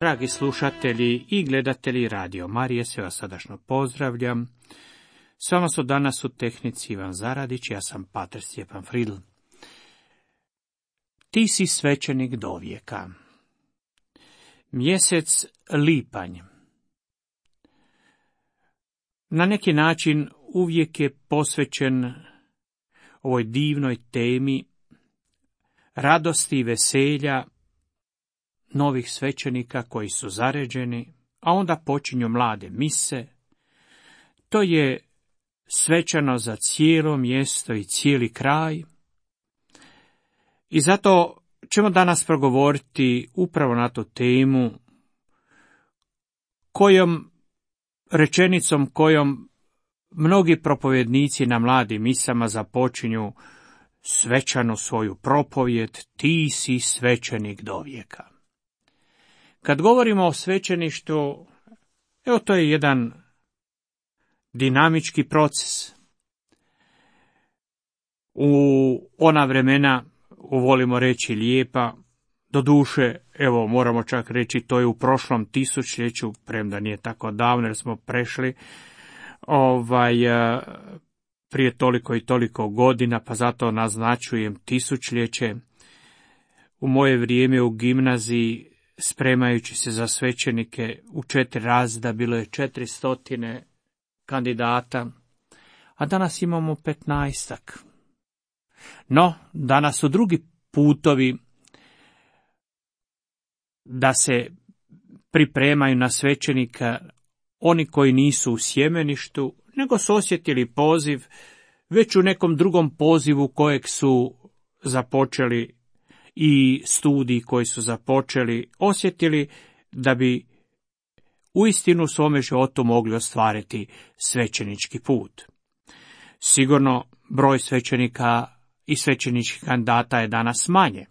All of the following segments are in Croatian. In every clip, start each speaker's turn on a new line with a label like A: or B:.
A: Dragi slušatelji i gledatelji Radio Marije, sve vas srdačno pozdravljam. S vama su danas u tehnici Ivan Zaradić, ja sam pater Stjepan Fridl. Ti si svećenik dovijeka. Mjesec lipanj. Na neki način uvijek je posvećen ovoj divnoj temi radosti i veselja novih svećenika koji su zaređeni, a onda počinju mlade mise. To je svečano za cijelo mjesto i cijeli kraj. I zato ćemo danas progovoriti upravo na tu temu, rečenicom kojom mnogi propovjednici na mladim misama započinju svečanu svoju propovjed: ti si svećenik dovijeka. Kad govorimo o svećeništvu, evo to je jedan dinamički proces. U ona vremena, volimo reći lijepa, doduše, evo moramo čak reći to je u prošlom tisućljeću, premda nije tako davno jer smo prešli prije toliko i toliko godina, pa zato naznačujem tisućljeće. U moje vrijeme u gimnaziji, spremajući se za svećenike u 4 razreda, bilo je 400 kandidata, a danas imamo 15-ak. No, danas su drugi putovi da se pripremaju na svećenika oni koji nisu u sjemeništu, nego su osjetili poziv već u nekom drugom pozivu kojeg su započeli i studiji koji su započeli, osjetili da bi uistinu u svome životu mogli ostvariti svećenički put. Sigurno broj svećenika i svećeničkih kandidata je danas manje,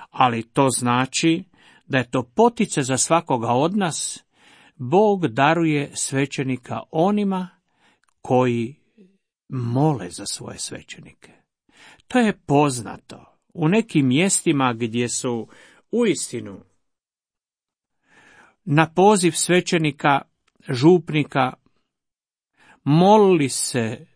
A: ali to znači da je to poticaj za svakoga od nas. Bog daruje svećenika onima koji mole za svoje svećenike. To je poznato. U nekim mjestima gdje su uistinu na poziv svećenika, župnika, molili se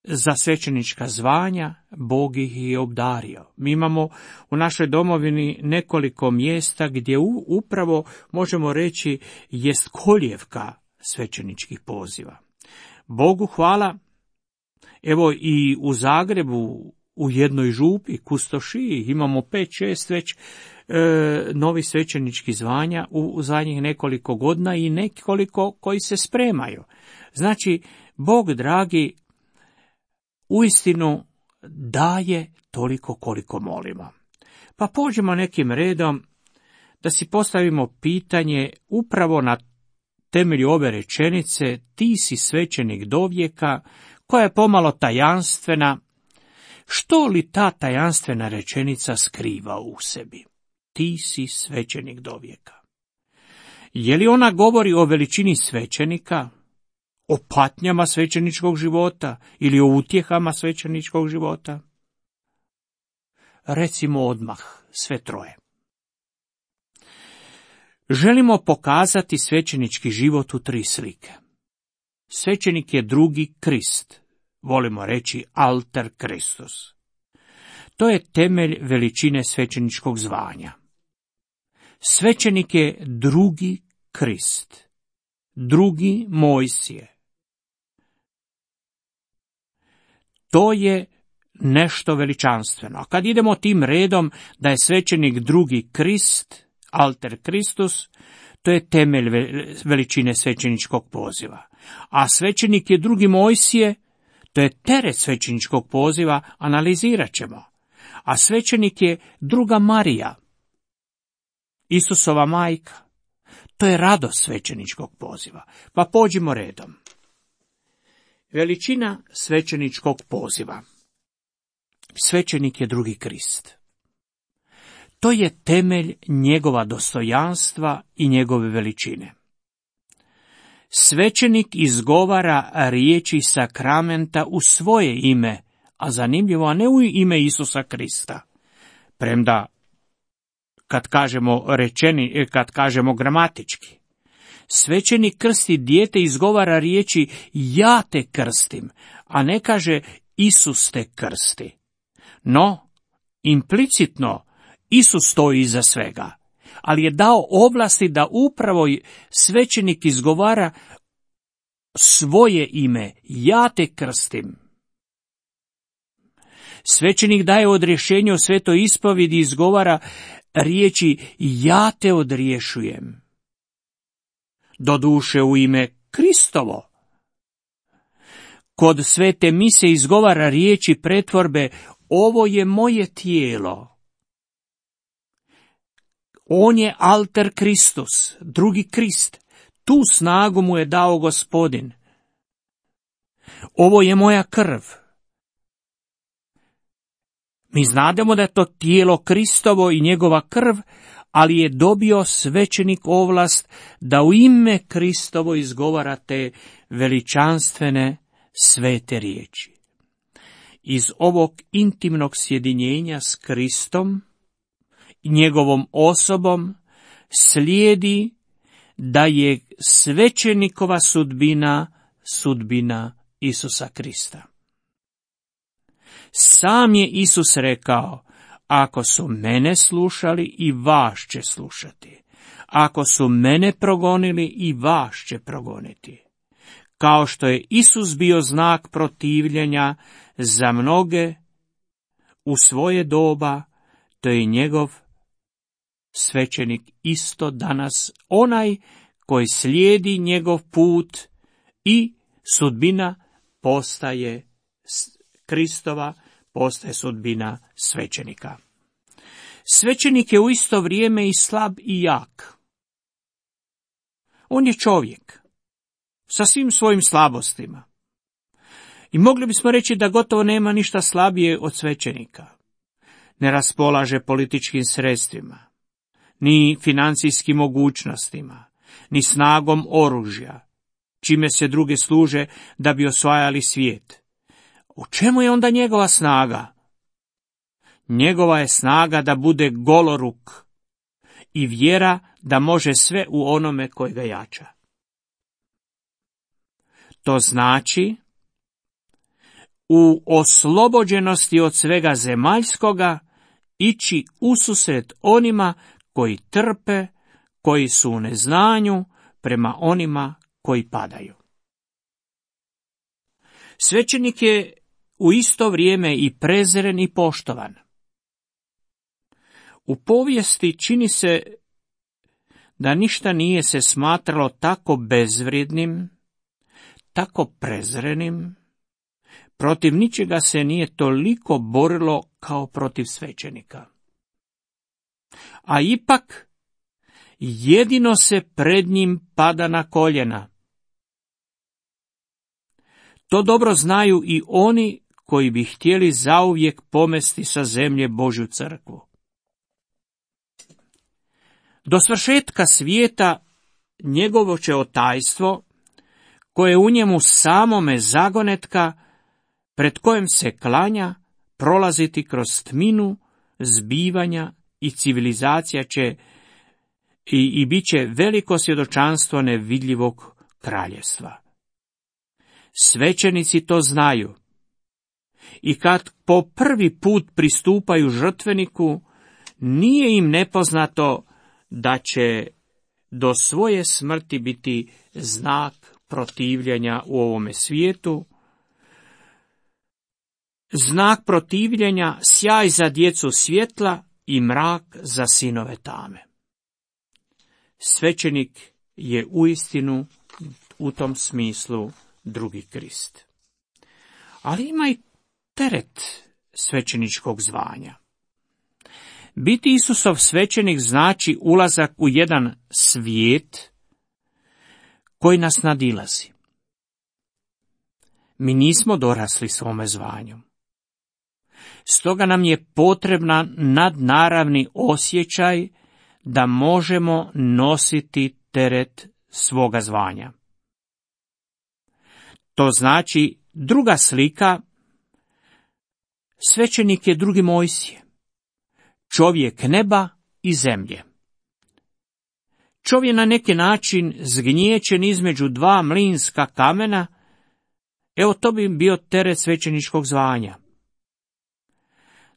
A: za svećenička zvanja, Bog ih je obdario. Mi imamo u našoj domovini nekoliko mjesta gdje upravo možemo reći jest kolijevka svećeničkih poziva. Bogu hvala, evo i u Zagrebu, u jednoj župi, Kustošiji, imamo 5-6 već novi svećenički zvanja u zadnjih nekoliko godina i nekoliko koji se spremaju. Znači, Bog dragi uistinu daje toliko koliko molimo. Pa pođemo nekim redom da si postavimo pitanje upravo na temelju ove rečenice: ti si svećenik dovijeka, koja je pomalo tajanstvena. Što li ta tajanstvena rečenica skriva u sebi? Ti si svećenik dovijeka. Je li ona govori o veličini svećenika, o patnjama svećeničkog života ili o utjehama svećeničkog života? Recimo odmah sve troje. Želimo pokazati svećenički život u 3 slike. Svećenik je drugi Krist, volimo reći alter Kristus. To je temelj veličine svećeničkog zvanja. Svećenik je drugi Krist, drugi Mojsije. To je nešto veličanstveno. A kad idemo tim redom da je svećenik drugi Krist, alter Kristus, to je temelj veličine svećeničkog poziva. A svećenik je drugi Mojsije, to je teret svećeničkog poziva, analizirat ćemo. A svećenik je druga Marija, Isusova majka, to je radost svećeničkog poziva. Pa pođimo redom. Veličina svećeničkog poziva. Svećenik je drugi Krist. To je temelj njegova dostojanstva i njegove veličine. Svećenik izgovara riječi sakramenta u svoje ime, a zanimljivo, a ne u ime Isusa Krista. Premda kad kažemo gramatički. Svećenik krsti dijete, izgovara riječi ja te krstim, a ne kaže Isus te krsti. No, implicitno Isus stoji iza svega, ali je dao ovlasti da upravo svećenik izgovara svoje ime, ja te krstim. Svećenik daje odrješenje o svetoj ispovjedi i izgovara riječi ja te odriješujem. Doduše u ime Kristovo. Kod svete mise izgovara riječi pretvorbe ovo je moje tijelo. On je alter Kristus, drugi Krist. Tu snagu mu je dao Gospodin. Ovo je moja krv. Mi znademo da je to tijelo Kristovo i njegova krv, ali je dobio svećenik ovlast da u ime Kristovo izgovara te veličanstvene svete riječi. Iz ovog intimnog sjedinjenja s Kristom i njegovom osobom slijedi da je svećenikova sudbina Isusa Krista. Sam je Isus rekao, ako su mene slušali i vas će slušati. Ako su mene progonili i vas će progoniti. Kao što je Isus bio znak protivljenja za mnoge u svoje doba, to je njegov svećenik isto danas, onaj koji slijedi njegov put i sudbina postaje Kristova, postaje sudbina svećenika. Svećenik je u isto vrijeme i slab i jak. On je čovjek sa svim svojim slabostima. I mogli bismo reći da gotovo nema ništa slabije od svećenika. Ne raspolaže političkim sredstvima, ni financijskim mogućnostima, ni snagom oružja, čime se druge služe da bi osvajali svijet. U čemu je onda njegova snaga? Njegova je snaga da bude goloruk i vjera da može sve u onome koji ga jača. To znači u oslobođenosti od svega zemaljskoga ići ususret onima koji trpe, koji su u neznanju prema onima koji padaju. Svećenik je u isto vrijeme i prezren i poštovan. U povijesti čini se da ništa nije se smatralo tako bezvrijednim, tako prezrenim, protiv ničega se nije toliko borilo kao protiv svećenika. A ipak, jedino se pred njim pada na koljena. To dobro znaju i oni koji bi htjeli zauvijek pomesti sa zemlje Božju crkvu. Do svršetka svijeta njegovo će otajstvo, koje u njemu samome zagonetka, pred kojem se klanja, prolaziti kroz tminu, zbivanja i civilizacija će i bit će veliko svjedočanstvo nevidljivog kraljevstva. Svećenici to znaju i kad po prvi put pristupaju žrtveniku, nije im nepoznato da će do svoje smrti biti znak protivljenja u ovome svijetu, znak protivljenja, sjaj za djecu svjetla i mrak za sinove tame. Svećenik je uistinu u tom smislu drugi Krist. Ali ima i teret svećeničkog zvanja. Biti Isusov svećenik znači ulazak u jedan svijet koji nas nadilazi. Mi nismo dorasli svome zvanju. Stoga nam je potreban nadnaravni osjećaj da možemo nositi teret svoga zvanja. To znači druga slika, svećenik je drugi Mojsije, čovjek neba i zemlje. Čovjek na neki način zgnječen između dva mlinska kamena, evo to bi bio teret svećeničkog zvanja.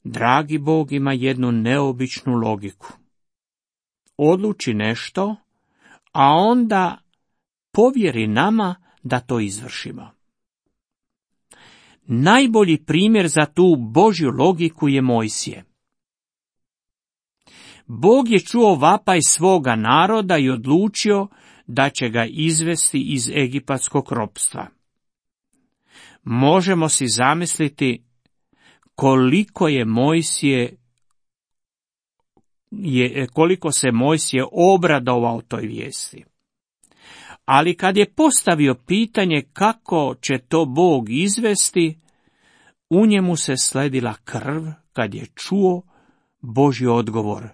A: Dragi Bog ima jednu neobičnu logiku. Odluči nešto, a onda povjeri nama da to izvršimo. Najbolji primjer za tu Božju logiku je Mojsije. Bog je čuo vapaj svoga naroda i odlučio da će ga izvesti iz egipatskog ropstva. Možemo si zamisliti koliko se Mojsije obradovao toj vijesti. Ali kad je postavio pitanje kako će to Bog izvesti, u njemu se sledila krv kad je čuo Božji odgovor.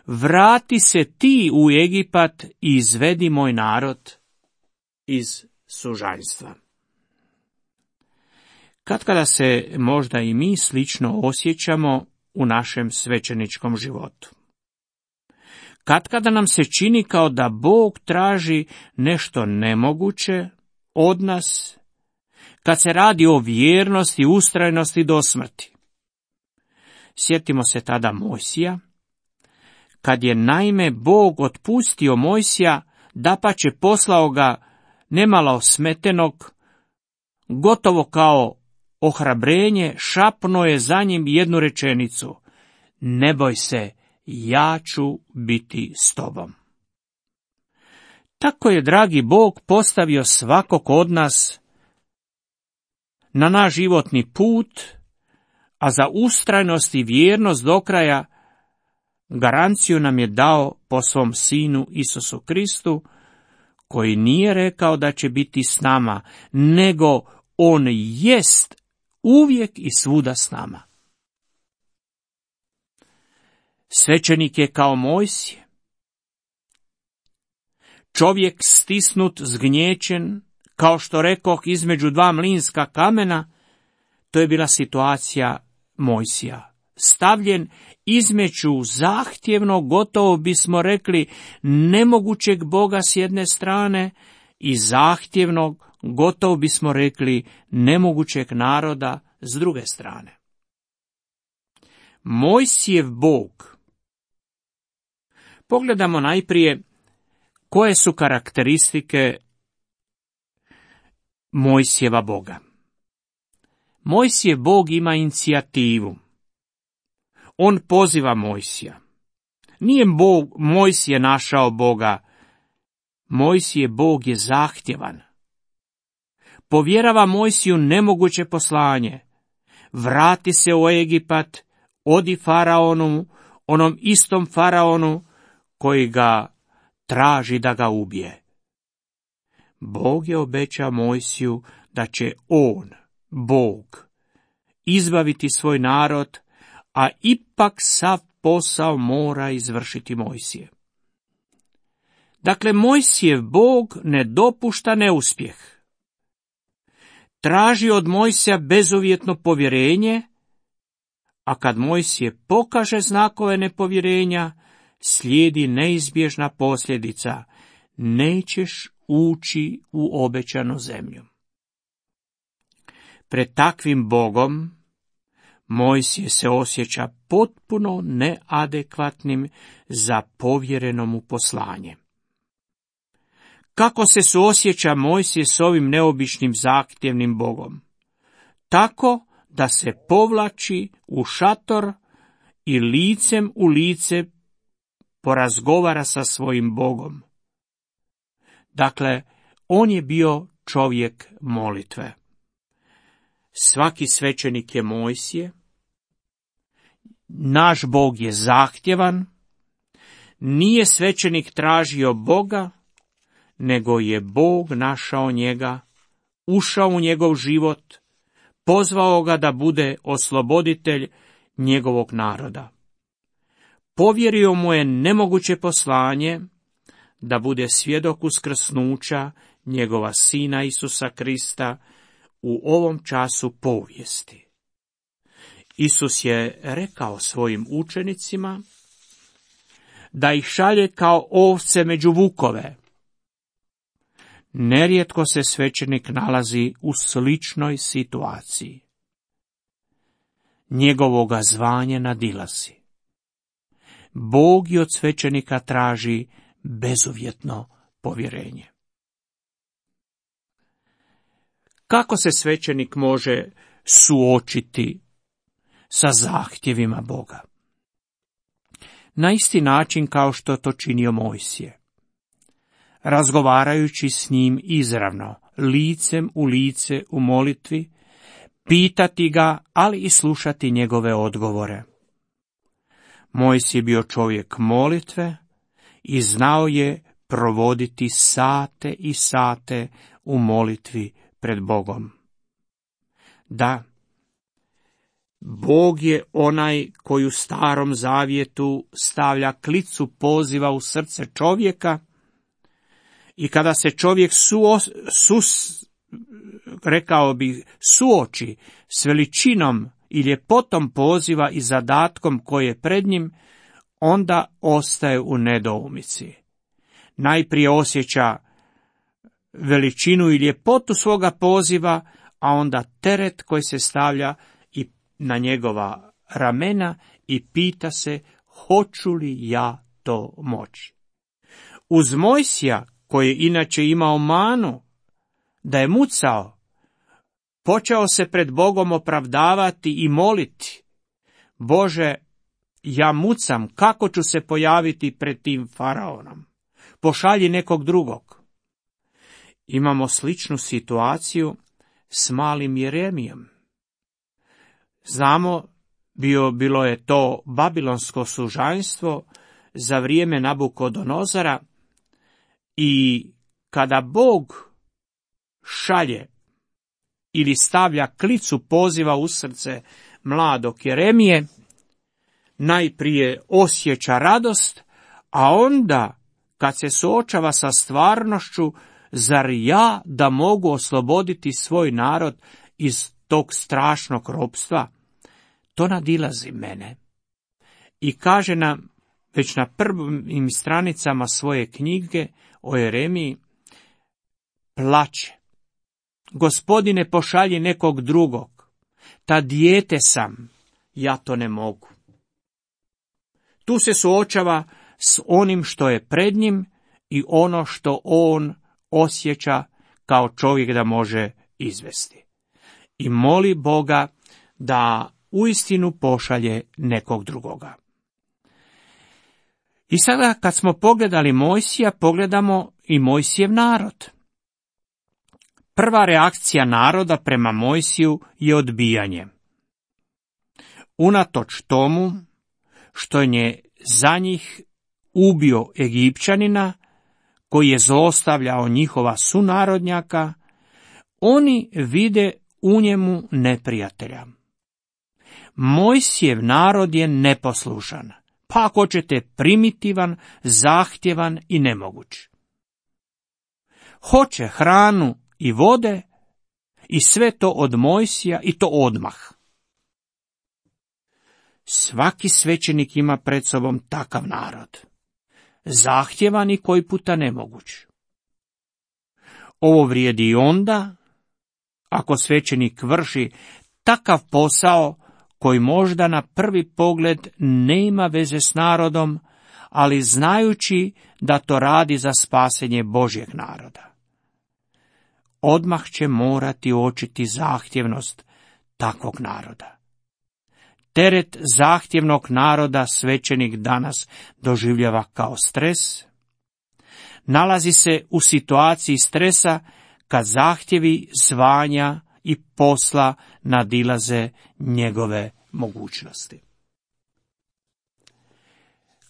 A: Vrati se ti u Egipat i izvedi moj narod iz sužanjstva. Katkada se možda i mi slično osjećamo u našem svećeničkom životu. Katkada nam se čini kao da Bog traži nešto nemoguće od nas, kad se radi o vjernosti i ustrajnosti do smrti. Sjetimo se tada Mojsija, kad je naime Bog otpustio Mojsija, dapače poslao ga nemalo smetenog, gotovo kao ohrabrenje, šapnuo je za njim jednu rečenicu: ne boj se, ja ću biti s tobom. Tako je dragi Bog postavio svakog od nas na naš životni put, a za ustrajnost i vjernost do kraja garanciju nam je dao po svom Sinu Isusu Kristu, koji nije rekao da će biti s nama, nego on jest uvijek i svuda s nama. Svećenik je kao Mojsije. Čovjek stisnut, zgnječen, kao što rekoh, između dva mlinska kamena, to je bila situacija Mojsija. Stavljen između zahtjevnog, gotovo bismo rekli, nemogućeg Boga s jedne strane i zahtjevnog, gotovo bismo rekli, nemogućeg naroda s druge strane. Mojsijev Bog. Pogledamo najprije koje su karakteristike Mojsijeva Boga. Mojsijev Bog ima inicijativu. On poziva Mojsija. Nije Mojsije našao Boga. Mojsijev Bog je zahtjevan. Povjerava Mojsiju nemoguće poslanje. Vrati se u Egipat, odi faraonu, onom istom faraonu koji ga traži da ga ubije. Bog je obećao Mojsiju da će on, Bog, izbaviti svoj narod, a ipak sav posao mora izvršiti Mojsije. Dakle, Mojsijev Bog ne dopušta neuspjeh. Traži od Mojsija bezuvjetno povjerenje, a kad Mojsije pokaže znakove nepovjerenja, slijedi neizbježna posljedica: nećeš ući u obećanu zemlju. Pred takvim Bogom Mojsije se osjeća potpuno neadekvatnim za povjereno mu poslanje. Kako se suosjeća Mojsije s ovim neobičnim zahtjevnim Bogom? Tako da se povlači u šator i licem u lice porazgovara sa svojim Bogom. Dakle, on je bio čovjek molitve. Svaki svećenik je Mojsije. Naš Bog je zahtjevan. Nije svećenik tražio Boga, nego je Bog našao njega, ušao u njegov život, pozvao ga da bude osloboditelj njegovog naroda. Povjerio mu je nemoguće poslanje da bude svjedok uskrsnuća njegova Sina Isusa Krista u ovom času povijesti. Isus je rekao svojim učenicima da ih šalje kao ovce među vukove. Nerijetko se svećenik nalazi u sličnoj situaciji. Njegovoga zvanje nadilazi. Bog i od svećenika traži bezuvjetno povjerenje. Kako se svećenik može suočiti sa zahtjevima Boga? Na isti način kao što to činio Mojsije. Razgovarajući s njim izravno, licem u lice u molitvi, pitati ga, ali i slušati njegove odgovore. Mojsije je bio čovjek molitve i znao je provoditi sate i sate u molitvi pred Bogom. Da, Bog je onaj koji u Starom Zavjetu stavlja klicu poziva u srce čovjeka i kada se čovjek suoči s veličinom i ljepotom poziva i zadatkom koji je pred njim, onda ostaje u nedoumici. Najprije osjeća veličinu i ljepotu svoga poziva, a onda teret koji se stavlja i na njegova ramena i pita se hoću li ja to moći. Uz Mojsija, koji je inače imao manu da je mucao, počeo se pred Bogom opravdavati i moliti. Bože, ja mucam, kako ću se pojaviti pred tim faraonom? Pošalji nekog drugog. Imamo sličnu situaciju s malim Jeremijom. Znamo, bilo je to babilonsko sužanjstvo za vrijeme Nabukodonozara i kada Bog šalje ili stavlja klicu poziva u srce mladog Jeremije, najprije osjeća radost, a onda, kad se suočava sa stvarnošću, zar ja da mogu osloboditi svoj narod iz tog strašnog ropstva? To nadilazi mene. I kaže nam, već na prvim stranicama svoje knjige o Jeremiji, plače. Gospodine, pošalji nekog drugog. Ta dijete sam, ja to ne mogu. Tu se suočava s onim što je pred njim i ono što on osjeća kao čovjek da može izvesti. I moli Boga da uistinu pošalje nekog drugoga. I sada kad smo pogledali Mojsija, pogledamo i Mojsijev narod. Prva reakcija naroda prema Mojsiju je odbijanje. Unatoč tomu što je za njih ubio Egipćanina, koji je zlostavljao njihova sunarodnjaka, oni vide u njemu neprijatelja. Mojsijev narod je neposlušan, pa ako ćete primitivan, zahtjevan i nemoguć. Hoće hranu i vode i sve to od Mojsija i to odmah. Svaki svećenik ima pred sobom takav narod. Zahtjevan i koji puta nemoguć. Ovo vrijedi i onda, ako svećenik vrši takav posao koji možda na prvi pogled nema veze s narodom, ali znajući da to radi za spasenje Božjeg naroda. Odmah će morati uočiti zahtjevnost takvog naroda. Teret zahtjevnog naroda svećenik danas doživljava kao stres. Nalazi se u situaciji stresa kad zahtjevi zvanja i posla nadilaze njegove mogućnosti.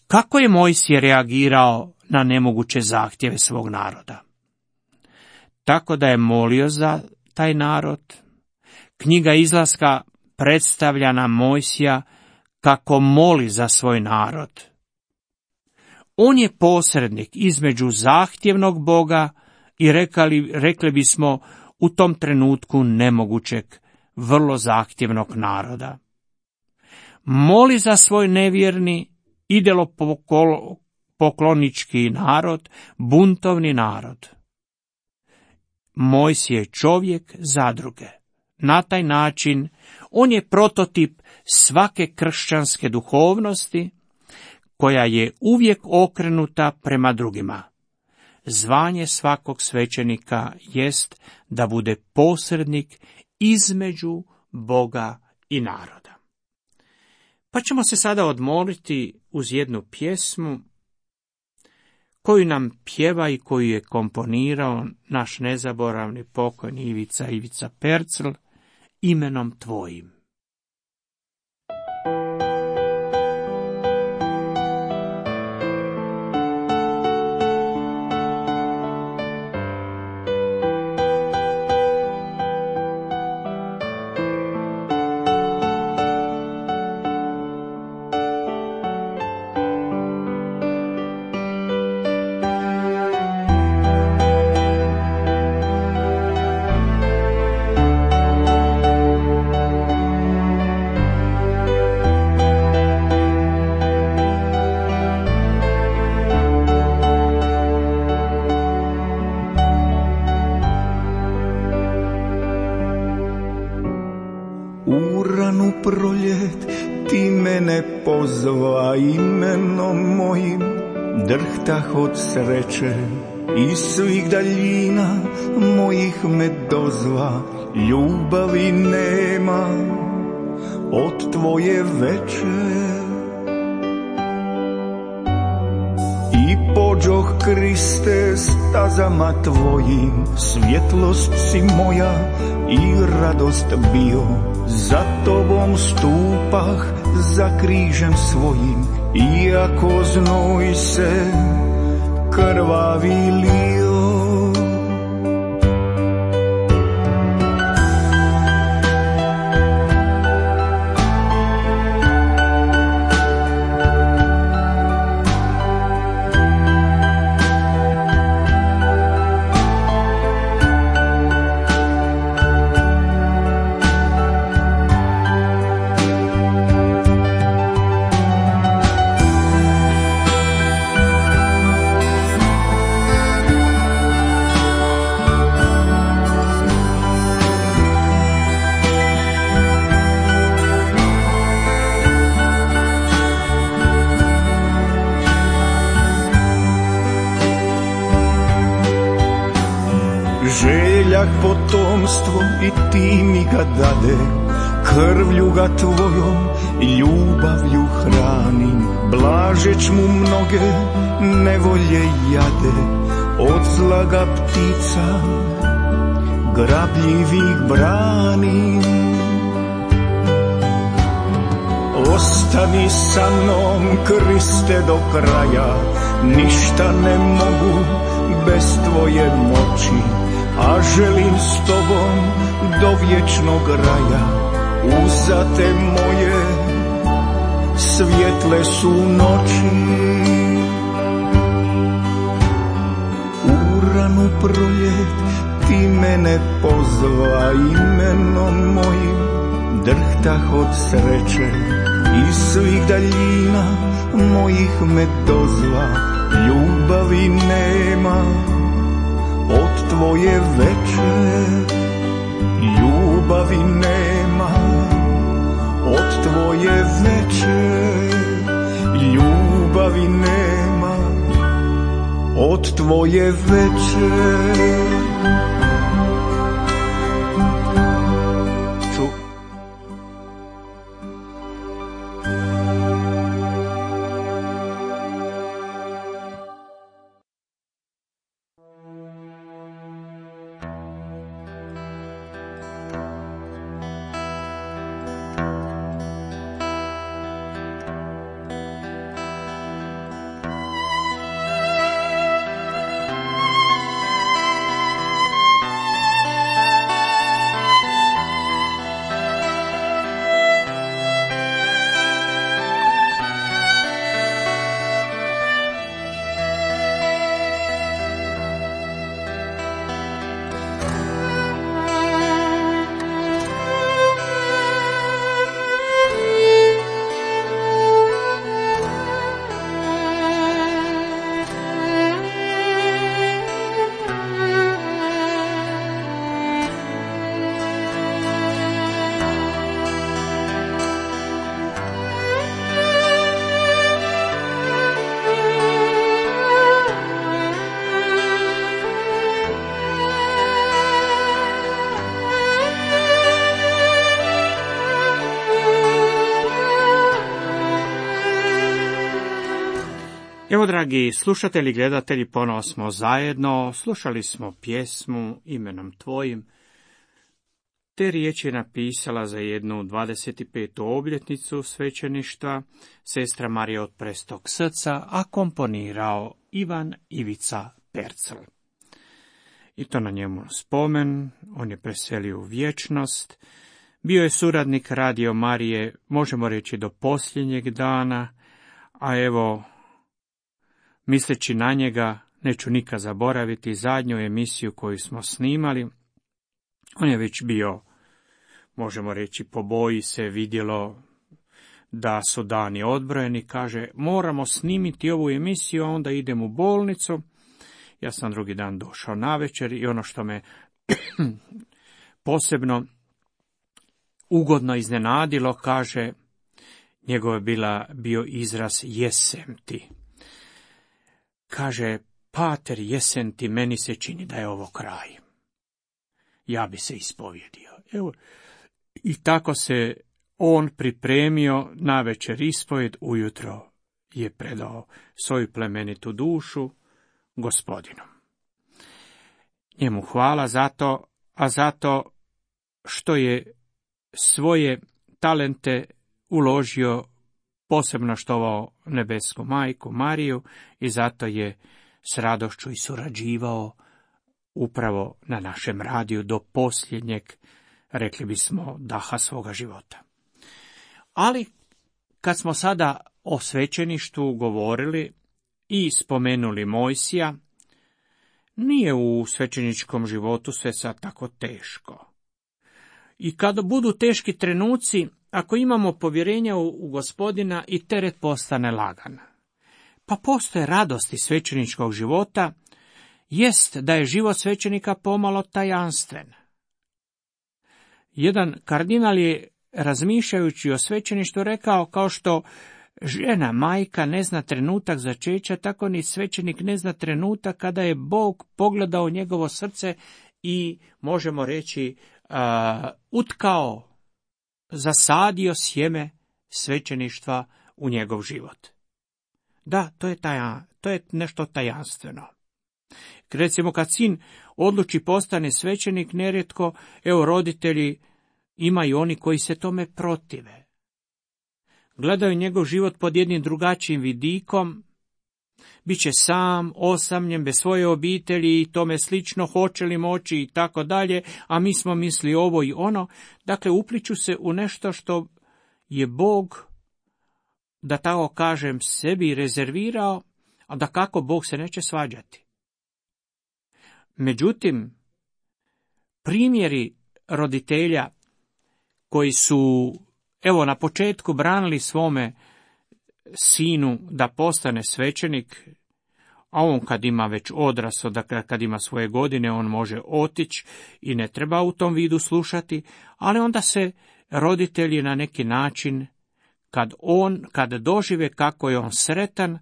A: Kako je Mojsije reagirao na nemoguće zahtjeve svog naroda? Tako da je molio za taj narod. Knjiga Izlaska predstavlja nam Mojsija kako moli za svoj narod. On je posrednik između zahtjevnog Boga i rekli bismo u tom trenutku nemogućeg, vrlo zahtjevnog naroda. Moli za svoj nevjerni, poklonički narod, buntovni narod. Mojsije je čovjek zadruge. Na taj način on je prototip svake kršćanske duhovnosti, koja je uvijek okrenuta prema drugima. Zvanje svakog svećenika jest da bude posrednik između Boga i naroda. Pa ćemo se sada odmoriti uz jednu pjesmu koju nam pjeva i koju je komponirao naš nezaboravni pokojni Ivica Percl, Imenom tvojim.
B: Proljet ti mene pozva imenom mojim, drhtah od sreće iz svih daljina mojih me dozva, ljubavi nema od tvoje veče. I pođoh Kriste stazama tvojim, svjetlost si moja i radost bio. Za tobom stupah, za križem svojim, iako znoj se krvavi lio. Željak potomstvo i ti mi ga dade, krvlju ga tvojom i ljubavlju hranim. Blažeć mu mnoge nevolje jade, od zla ga ptica grabljivih branim. Ostani sa mnom, Kriste, do kraja, ništa ne mogu bez tvoje moći. A želim s tobom do vječnog raja, uzate moje svjetle su noći. U ranu proljet ti mene pozva imenom mojim, drhtah od sreće iz svih daljina mojih me dozva, ljubavi nema od tvoje veče. Ljubavi nema od tvoje veče. Ljubavi nema od tvoje veče.
A: Evo, dragi slušatelji, gledatelji, ponovo smo zajedno, slušali smo pjesmu Imenom tvojim. Te riječi je napisala za jednu 25. obljetnicu svećeništva sestra Marija od Prestog srca, a komponirao Ivan Ivica Percel. I to na njemu spomen, on je preselio u vječnost, bio je suradnik Radio Marije, možemo reći do posljednjeg dana, a evo, misleći na njega, neću nikad zaboraviti zadnju emisiju koju smo snimali. On je već bio, možemo reći, po boji se vidjelo da su dani odbrojeni. Kaže, moramo snimiti ovu emisiju, a onda idem u bolnicu. Ja sam drugi dan došao navečer i ono što me posebno ugodno iznenadilo, kaže, njegov je bio izraz jesem ti. Kaže, pater, jesen ti, meni se čini da je ovo kraj. Ja bi se ispovjedio. Evo, i tako se on pripremio navečer ispovjed, ujutro je predao svoju plemenitu dušu Gospodinu. Njemu hvala zato, a zato što je svoje talente uložio, posebno štovao nebesku majku Mariju, i zato je s radošću i surađivao upravo na našem radiju do posljednjeg, rekli bismo, daha svoga života. Ali kad smo sada o svećeništvu govorili i spomenuli Mojsija, nije u svećeničkom životu sve sad tako teško. I kada budu teški trenuci, ako imamo povjerenja u Gospodina, i teret postane lagan. Pa postoje radosti svećeničkog života, jest da je život svećenika pomalo tajanstven. Jedan kardinal je, razmišljajući o svećeništvu, rekao, kao što žena majka ne zna trenutak začeća, tako ni svećenik ne zna trenutak kada je Bog pogledao njegovo srce i, možemo reći, utkao, zasadio sjeme svećeništva u njegov život. Da, to je nešto tajanstveno. Recimo, kad sin odluči postane svećenik, nerijetko, evo, roditelji, ima i oni koji se tome protive. Gledaju njegov život pod jednim drugačijim vidikom, bit će sam, osamljen, bez svoje obitelji i tome slično, hoće li moći i tako dalje, a mi smo misli ovo i ono. Dakle, upliču se u nešto što je Bog, da tako kažem, sebi rezervirao, a da kako Bog se neće svađati. Međutim, primjeri roditelja koji su, evo, na početku branili svome sinu da postane svećenik, a on kad ima već odrasao, dakle kad ima svoje godine, on može otići i ne treba u tom vidu slušati, ali onda se roditelji na neki način, kad dožive kako je on sretan,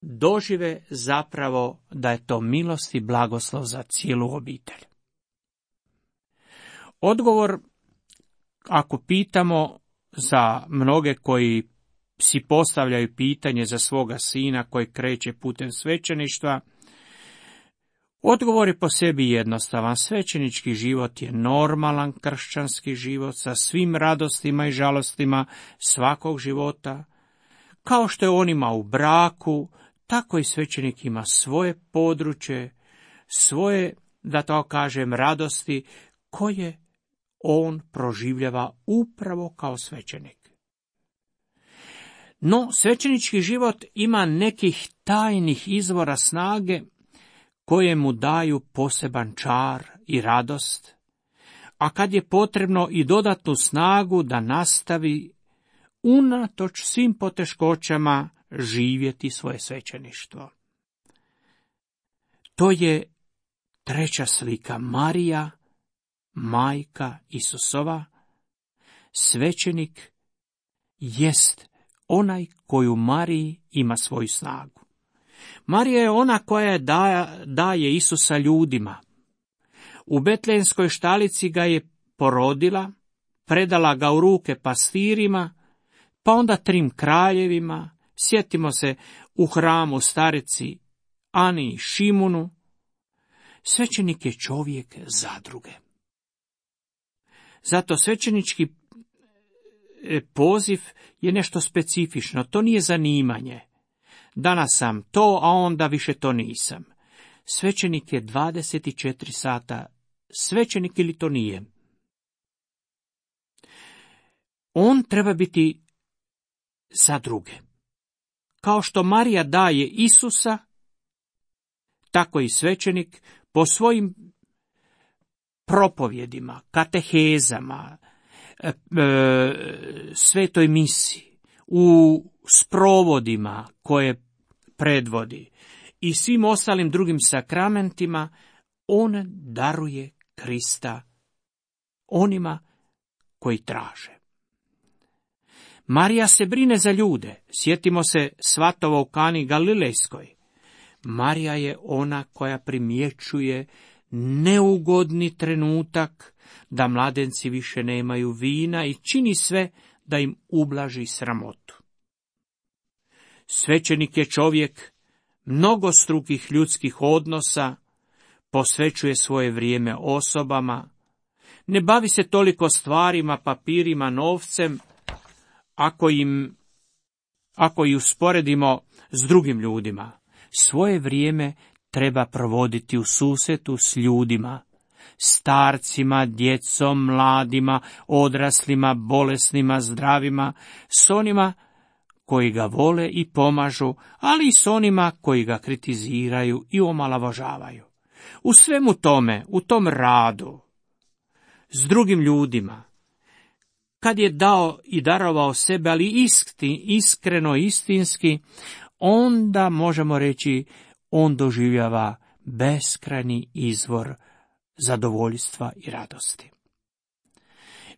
A: dožive zapravo da je to milost i blagoslov za cijelu obitelj. Odgovor, ako pitamo za mnoge koji si postavljaju pitanje za svoga sina koji kreće putem svećeništva, odgovor je po sebi jednostavan. Svećenički život je normalan kršćanski život sa svim radostima i žalostima svakog života. Kao što je on ima u braku, tako i svećenik ima svoje područje, svoje, da to kažem, radosti koje on proživljava upravo kao svećenik. No, svećenički život ima nekih tajnih izvora snage koje mu daju poseban čar i radost, a kad je potrebno i dodatnu snagu da nastavi unatoč svim poteškoćama živjeti svoje svećeništvo. To je treća slika, Marija, majka Isusova. Svećenik jest onaj koji u Mariji ima svoju snagu. Marija je ona koja daje Isusa ljudima. U Betlejemskoj štalici ga je porodila, predala ga u ruke pastirima, pa onda 3 kraljevima, Sjetimo se u hramu starici Ani i Šimunu. Svećenik je čovjek zadruge. Zato svećenički poziv je nešto specifično, to nije zanimanje. Danas sam to, a onda više to nisam. Svećenik je 24 sata svećenik ili to nije. On treba biti za druge. Kao što Marija daje Isusa, tako i svećenik po svojim propovjedima, katehezama, svetoj misi, u sprovodima koje predvodi i svim ostalim drugim sakramentima, on daruje Krista onima koji traže. Marija se brine za ljude. Sjetimo se svatova u Kani Galilejskoj. Marija je ona koja primjećuje neugodni trenutak da mladenci više nemaju vina i čini sve da im ublaži sramotu. Svećenik je čovjek mnogostrukih ljudskih odnosa, posvećuje svoje vrijeme osobama, ne bavi se toliko stvarima, papirima, novcem, ako ih usporedimo s drugim ljudima. Svoje vrijeme treba provoditi u susretu s ljudima, starcima, djecom, mladima, odraslima, bolesnima, zdravima, s onima koji ga vole i pomažu, ali i s onima koji ga kritiziraju i omalovažavaju. U svemu tome, u tom radu, s drugim ljudima, kad je dao i darovao sebe, ali iskreno, istinski, onda možemo reći, on doživljava beskrajni izvor zadovoljstva i radosti.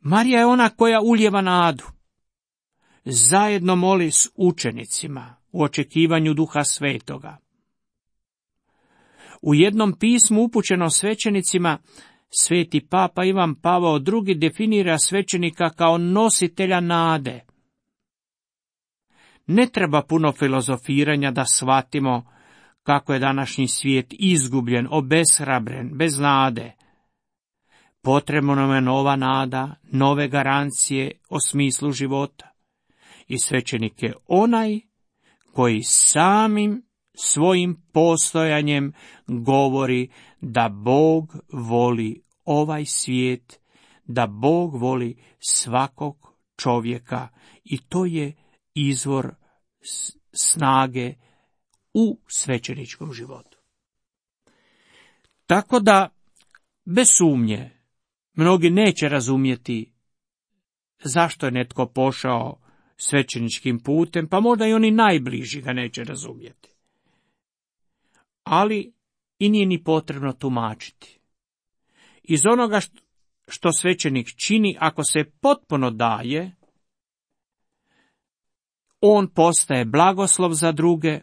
A: Marija je ona koja ulijeva nadu. Zajedno moli s učenicima u očekivanju Duha Svetoga. U jednom pismu upućeno svećenicima, sveti papa Ivan Pavao II definira svećenika kao nositelja nade. Ne treba puno filozofiranja da shvatimo kako je današnji svijet izgubljen, obeshrabren, bez nade. Potrebna nam je nova nada, nove garancije o smislu života. I svećenik je onaj koji samim svojim postojanjem govori da Bog voli ovaj svijet, da Bog voli svakog čovjeka i to je izvor snage u svećeničkom životu. Tako da, bez sumnje, mnogi neće razumjeti zašto je netko pošao svećeničkim putem, pa možda i oni najbliži ga neće razumjeti. Ali i nije ni potrebno tumačiti. Iz onoga što svećenik čini, ako se potpuno daje, on postaje blagoslov za druge,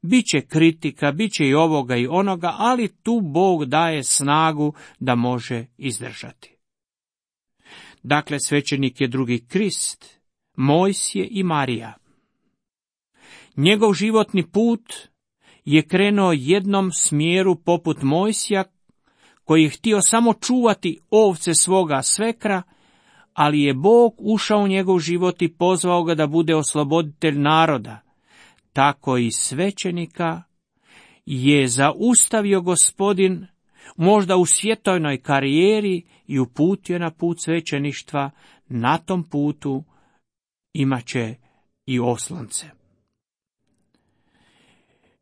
A: bit će kritika, bit će i ovoga i onoga, ali tu Bog daje snagu da može izdržati. Dakle, svećenik je drugi Krist, Mojsije i Marija. Njegov životni put je krenuo jednom smjeru poput Mojsija, koji je htio samo čuvati ovce svoga svekra, ali je Bog ušao u njegov život i pozvao ga da bude osloboditelj naroda. Tako i svećenika je zaustavio Gospodin, možda u svjetovnoj karijeri, i uputio na put svećeništva. Na tom putu imat će i oslonce.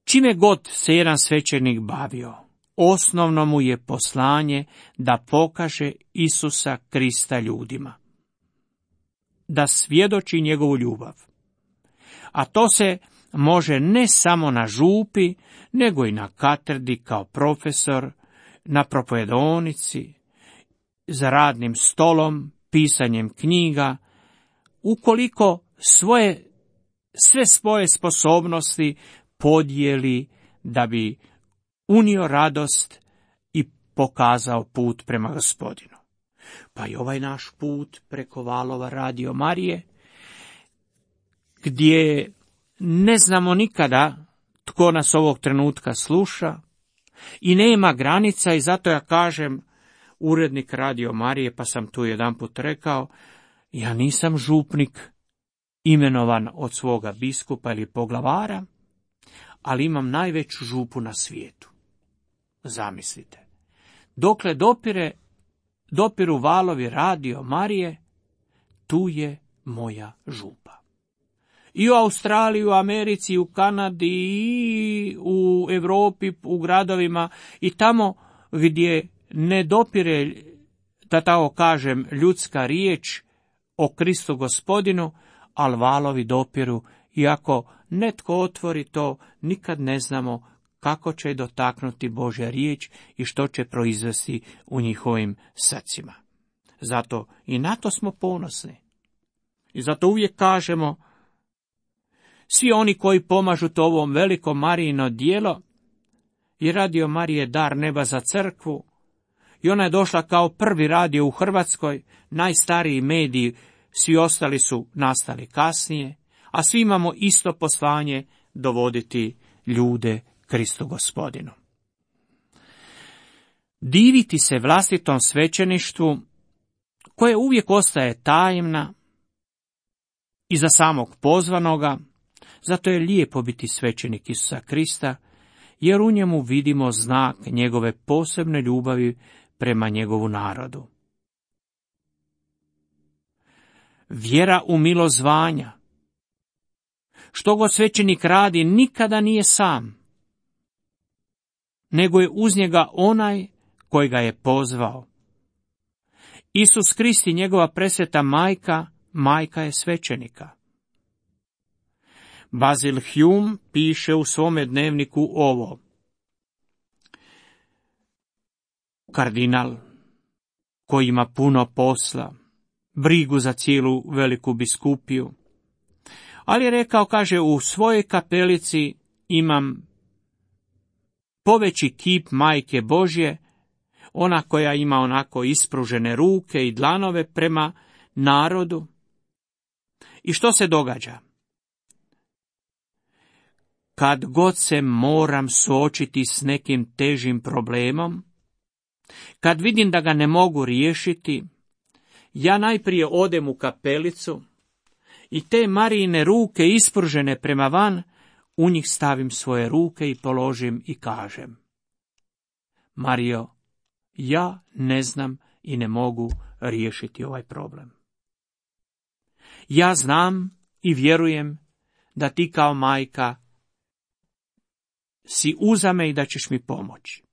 A: Čime god se jedan svećenik bavio, osnovno mu je poslanje da pokaže Isusa Krista ljudima, da svjedoči njegovu ljubav. A to se može ne samo na župi, nego i na katedri kao profesor, na propovedonici, za radnim stolom, pisanjem knjiga, ukoliko sve svoje sposobnosti podijeli da bi unio radost i pokazao put prema Gospodinu. Pa i ovaj naš put preko valova Radio Marije, gdje ne znamo nikada tko nas ovog trenutka sluša i nema granica, i zato ja kažem, urednik Radio Marije, pa sam tu jedanput rekao, ja nisam župnik imenovan od svoga biskupa ili poglavara, ali imam najveću župu na svijetu. Zamislite. Dokle dopiru valovi Radio Marije, tu je moja župa. I u Australiji, u Americi, i u Kanadi, i u Europi, u gradovima, i tamo gdje ne dopire, da tako kažem, ljudska riječ o Kristu Gospodinu, ali valovi dopiru, i ako netko otvori to, nikad ne znamo kako će dotaknuti Božja riječ i što će proizvesti u njihovim srcima. Zato i na to smo ponosni. I zato uvijek kažemo, svi oni koji pomažu to ovom velikom Marijino djelo, i Radio Marije je dar neba za crkvu, i ona je došla kao prvi radio u Hrvatskoj, najstariji mediji, svi ostali su nastali kasnije, a svi imamo isto poslanje dovoditi ljude Kristu Gospodinu. Diviti se vlastitom svećeništvu, koje uvijek ostaje tajemna i za samog pozvanoga, zato je lijepo biti svećenik Isusa Krista, jer u njemu vidimo znak njegove posebne ljubavi prema njegovu narodu. Vjera u milost zvanja. Što god svećenik radi, nikada nije sam, nego je uz njega onaj koji ga je pozvao. Isus Krist i njegova presveta majka je svećenika. Basil Hume piše u svome dnevniku ovo. Kardinal, koji ima puno posla, brigu za cijelu veliku biskupiju, ali je rekao, kaže, u svojoj kapelici imam poveći kip Majke Božje, ona koja ima onako ispružene ruke i dlanove prema narodu. I što se događa? Kad god se moram suočiti s nekim težim problemom, kad vidim da ga ne mogu riješiti, ja najprije odem u kapelicu i te Marijine ruke ispružene prema van, u njih stavim svoje ruke i položim i kažem: Marijo, ja ne znam i ne mogu riješiti ovaj problem. Ja znam i vjerujem da ti kao majka si uza me i da ćeš mi pomoći.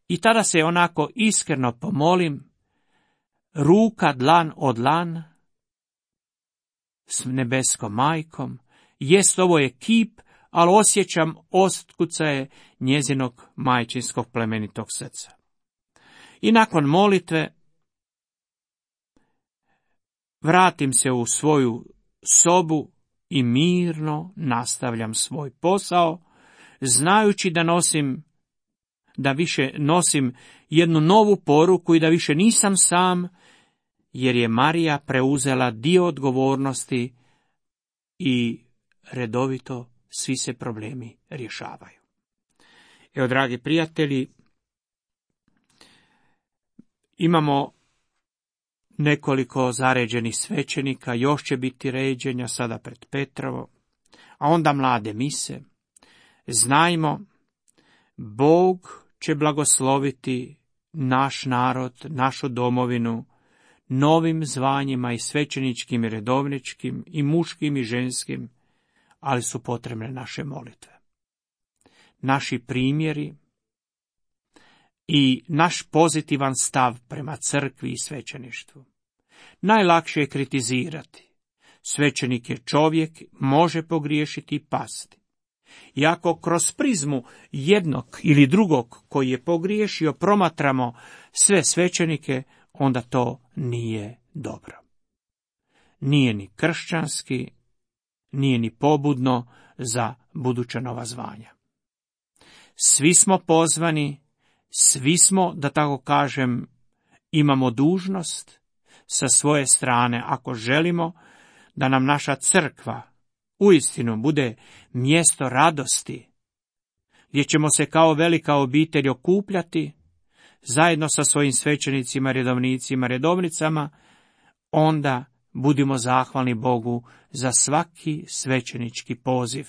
A: I tada se onako iskreno pomolim, ruka dlan od dlan, s nebeskom majkom, jest ovo je kip, ali osjećam otkucaje njezinog majčinskog plemenitog srca. I nakon molitve vratim se u svoju sobu i mirno nastavljam svoj posao, znajući da više nosim jednu novu poruku i da više nisam sam, jer je Marija preuzela dio odgovornosti i redovito svi se problemi rješavaju. Evo, dragi prijatelji, imamo nekoliko zaređenih svećenika, još će biti ređenja sada pred Petrovo, a onda mlade mise. Znajmo, Bog će blagosloviti naš narod, našu domovinu, novim zvanjima i svećeničkim i redovničkim i muškim i ženskim, ali su potrebne naše molitve. Naši primjeri i naš pozitivan stav prema crkvi i svećeništvu. Najlakše je kritizirati. Svećenik je čovjek, može pogriješiti i pasti. I ako kroz prizmu jednog ili drugog koji je pogriješio promatramo sve svećenike, onda to nije dobro. Nije ni kršćanski, nije ni pobudno za buduća nova zvanja. Svi smo pozvani, svi smo, da tako kažem, imamo dužnost sa svoje strane, ako želimo da nam naša crkva uistinu bude mjesto radosti, gdje ćemo se kao velika obitelj okupljati, zajedno sa svojim svećenicima, redovnicima, redovnicama, onda budimo zahvalni Bogu za svaki svećenički poziv,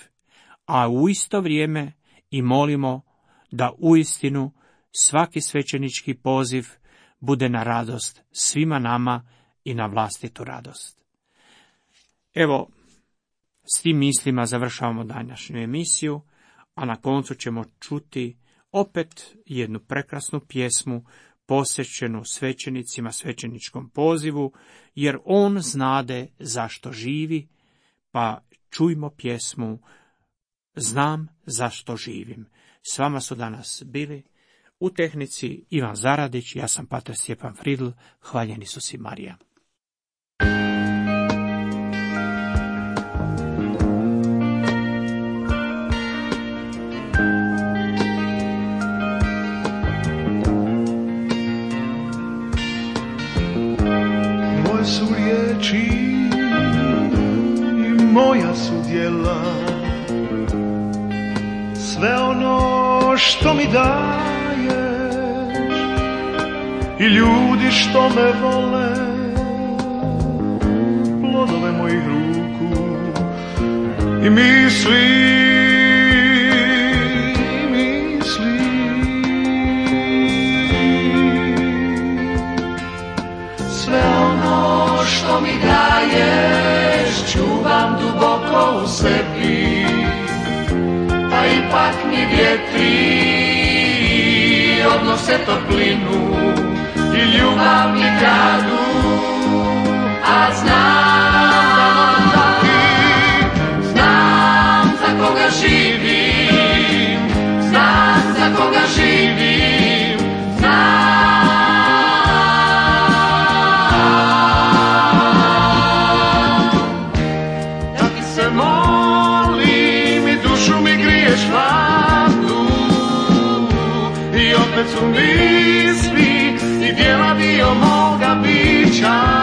A: a u isto vrijeme i molimo da uistinu svaki svećenički poziv bude na radost svima nama i na vlastitu radost. Evo, s tim mislima završavamo današnju emisiju, a na koncu ćemo čuti opet jednu prekrasnu pjesmu posvećenu svećenicima, svećeničkom pozivu, jer on znade zašto živi, pa čujmo pjesmu Znam zašto živim. S vama su danas bili u tehnici Ivan Zaradić, ja sam pater Stjepan Fridl, hvaljen Isus i Marija.
B: Moje su riječi i moja su djela, sve ono što mi daješ i ljudi što me vole, plodove mojih ruku i misli. Sve ono što mi daješ čuvam duboko u sebi, pa ipak mi vjetri odnose toplinu i ljubav mi kradu, a znam za koga živim, znam za koga živim, da ti se molim i dušu mi griješ hladnu i opet su misli i djela dio moga bića.